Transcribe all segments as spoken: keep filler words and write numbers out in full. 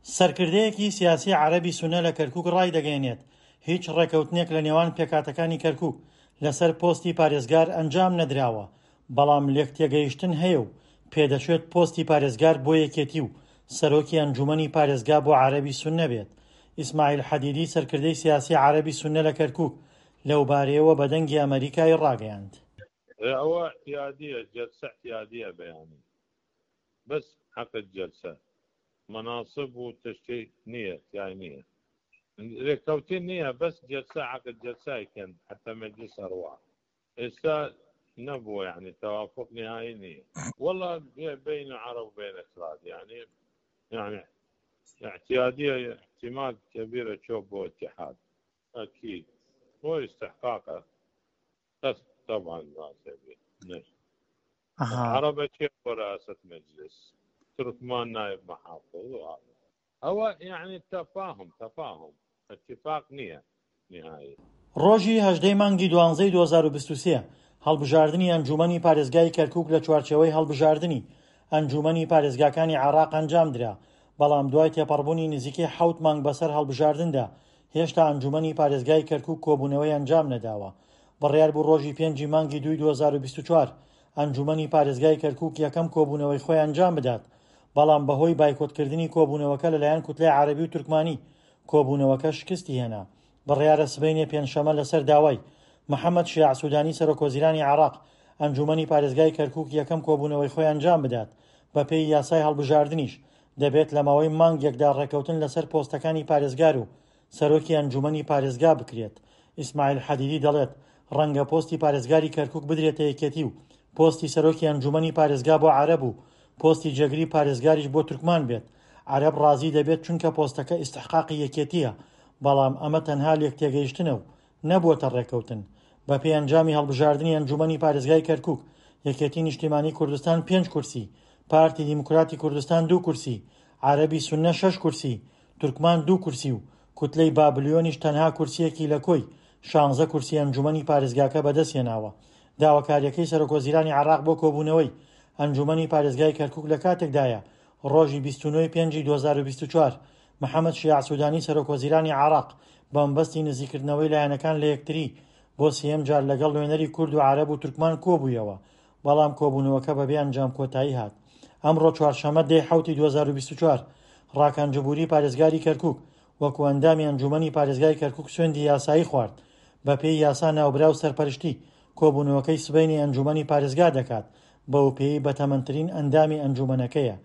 سەرکردەیەکی سیاسی عەرەبی سونە لە کەرکوک ڕایدەگەیەنێت، هیچ ڕێکەوتنێک لە نێوان پێکهاتەکانی کەرکوک لەسەر پۆستی پارێزگار ئەنجام نەدراوە، بەڵام لێکتێگەیشتن هەیە و پێدەچێت پۆستی پارێزگار بۆ یەکێتی و سەرۆکی ئەنجومەنی پارێزگا بۆ عەرەبی سونە بێت. ئیسماعیل حەدیدی سەرکردەی سیاسی عەرەبی سونە لە کەرکوک لەوبارەیەوە بە دەنگی ئەمەریکای ڕاگەیاند. ئەوە اعتیادیە، جلسە اعتیادیە بەیانی بەس عەقد جلسە مناصب و تشتی نییە تیای نییە رێککەوتن نییە بەس جلسە عەقد جلسە کەن حتى مجلس ئەڕوا ئێستا نەبووە یعنی توافق نهایی نییە والله بين عرب وبين اكراد يعني يعني اعتيادية احتمال كبير تشوف بو اتحاد اكيد هو استحقاقه بس طبعا ما عرب رئاسة مجلس تركمان نائب محافظ وهذا هو يعني تفاهم تفاهم اتفاق نییە نهایی. ڕۆژی هەژدەی مانگی دوانزەی دوو هەزار و بیست و سێ هەڵبژاردنی ئەنجومەنی پارێزگای کەرکوک لە چوارچێوەی هەڵبژاردنی ئەنجومەنی پارێزگاکانی عێراق ئەنجامدرا، بەڵام دوای تێپەڕبوونی نزیکەی حەوت مانگ بەسەر هەڵبژاردندا هێشتا ئەنجومەنی پارێزگای کەرکوک کۆبوونەوەی ئەنجام نەداوە. بڕیار بوو ڕۆژی پێنجی مانگی دووی دوو هەزار و بیست و چوار ئەنجومەنی پارێزگای کەرکوک یەکەم کۆبوونەوەی خۆی ئەنجام بدات، بەڵام بەهۆی بایکۆتکردنی کۆبوونەوەکە لەلایەن کوتلەی عەرەبی و تورکمانی کۆبوونەوەکە شکستی هێنا. بڕیارە سبەینێ پێنجشەممە لەسەر داوای محەممەد شیاع سودانی سەرۆکوەزیرانی عێراق ئەنجومەنی پارێزگای کەرکوک یەکەم کۆبوونەوەی خۆی ئەنجام بدات. بەپێی یاسای هەڵبژاردنیش دەبێت لە ماوەی مانگێکدا ڕێکەوتن لەسەر پۆستەکانی پارێزگار و سەرۆکی ئەنجومەنی پارێزگا بکرێت. ئیسماعیل حەدیدی دەڵێت ڕەنگە پۆستی پارێزگاری کەرکوک بدرێتە یەکێتی و پۆستی سەرۆکی ئەنجومەنی پارێزگا بۆ عەرەب و پۆستی جێگری پارێزگاریش بۆ تورکمان بێت. عەرەب ڕازی دەبێت چونکە پۆستەکە ئیستحقاقی یەکێتیە، بەڵام ئەمە تەنها لێکتێگەیشتنە و نەبووەتە ڕێکەوتن. بەپێی ئەنجامی هەڵبژاردنی ئەنجومەنی پارێزگای کەرکوک، یەکێتی نیشتیمانی کوردستان پێنج کورسی، پارتی دیموکراتی کوردستان دوو کورسی، عەرەبی سونە شەش کورسی، تورکمان دوو کورسی و کوتلەی بابلیۆنیش تەنها کورسیەکی لە کۆی شانزە کورسی ئەنجومەنی پارێزگاکە بەدەستهێناوە. داواکاریەکەی سەرۆکوەزیرانی عێراق بۆ کۆبوونەوەی ئەنجومەنی پارێزگای کەرکوک لە کاتێکدایە ڕۆژی بیست و نۆ پێنجی دوو هەزار و بیست و چوار محەممەد شیاع سودانی سەرۆکوەزیرانی عێراق بەمبەستی نزیکردنەوەی لایەنەکان لە یەکتری بۆ سێیەم جار لەگەڵ نوێنەری کورد و عەرەب و تورکمان کۆبوویەوە، بەڵام کۆبوونەوەکە بەبێ ئەنجام کۆتایی هات. ئەمڕۆ چوارشەممە دەی حەوتی دوو هەزار و بیست و چوار ڕاکان جبوری پارێزگاری کەرکوک وەکو ئەندامی ئەنجومەنی پارێزگای کەرکوک سوێندی یاسایی خوارد. بەپێی یاسا ناوبراو سەرپەرشتی کۆبوونەوەکەی سبەینی ئەنجومەنی پارێزگا دەکات، بەو پێی بەتەمەنترین ئەندامی ئەنجومەنەکەیە.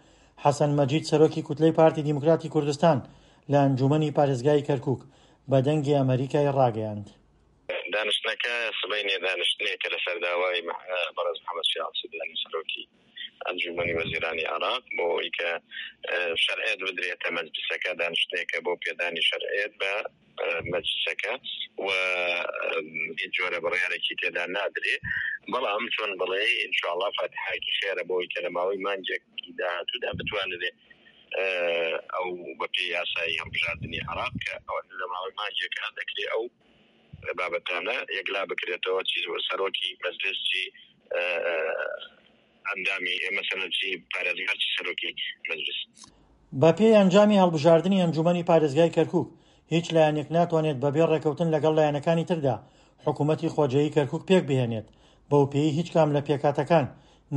حەسەن مەجید سەرۆکی کوتلەی پارتی دیموکراتی کوردستان لە ئەنجومەنی پارێزگای کەرکوک بە دەنگی ئەمەریکای ڕاگەیاند. دانیشتنەکە سبەینێ دانیشتنێکە لەسەر داوای بەڕێز محەممەد شیاع سودانی سەرۆکی ئەنجومەنی وەزیرانی عێراق بۆ ئەوەی کە شەرعیەت بدرێتە مەجلسەکە، دانیشتنێکە بۆ پێدانی شەرعیەت بە مەجلسەکە و هیچ جۆرە بڕیارێکی تێدا نادرێ. بەڵام چۆن بڵێ ئینشاءڵڵا فاتحایەکی خێرە بۆ ئەوەی کە لە ماوەی مانگێکی داهاتوودا بتوانرێ ئەو بەپێی یاسایی هەڵبژاردنی عێراق کە لە ماوەی مانگێکە دەکرێ ئەو بابەتانە یەکلا بکرێتەوە، چی سەرۆکی مەجلس، چی ئەندامی مەسەلەن چی پارێزگار، چی سەرۆکی مەجلس. بەپێی ئەنجامی هەڵبژاردنی ئەنجومەنی پارێزگای کەرکوک هیچ لایەنێک ناتوانێت بەبێ ڕێکەوتن لەگەڵ لایەنەکانی تردا حکوومەتی خۆجێیی کەرکوک پێک بهێنێت، بەو پێی هیچ کام لە پێکهاتەکان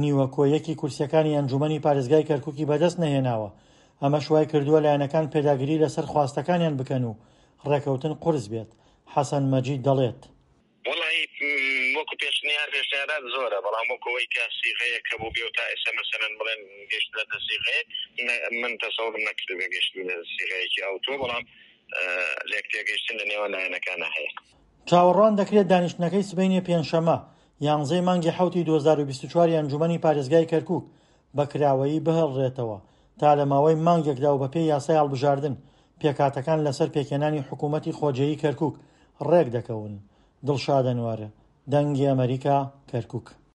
نیوە کۆیەکی کورسیەکانی ئەنجومەنی پارێزگای کەرکوکی بەدەست نەهێناوە. ئەمەش وای کردووە لایەنەکان پێداگیری لەسەر خواستەکانیان بکەن و ڕێکەوتن قورس بێت. حەسەن مەجید دەڵێت وەڵی وەکو پێشنیار پێشنیارات زۆرە، بەڵام وەکو ئەوەی کە سیغەیەک هەبوو بێ و تا ئێستا مەسەلەن بڵێن گەشتنەتە سیغەیەک، من تەسەورم نەکردبێ گەشتنە سیغەیەکی ئەوتۆ، بەڵام لێک تێگەیشتن لە نێوان لایەنەکانە هەیە. چاوەڕوان دەکرێت دانیشتنەکەی سبەینێ پێنجشەممە یانزەی مانگی حەوتی دوو هەزار و بیست و چوار ئەنجومەنی پارێزگای کەرکوک بە کراوەیی بهێڵرێتەوە تا لە ماوەی مانگێکدا و بەپێی یاسای هەڵبژاردن پێکهاتەکان لەسەر پێکهێنانی حکوومەتی خۆجێیی کەرکوک ڕێک دەکەون. دڵشاد ئەنوەر، دەنگی ئەمەریکا، کەرکوک.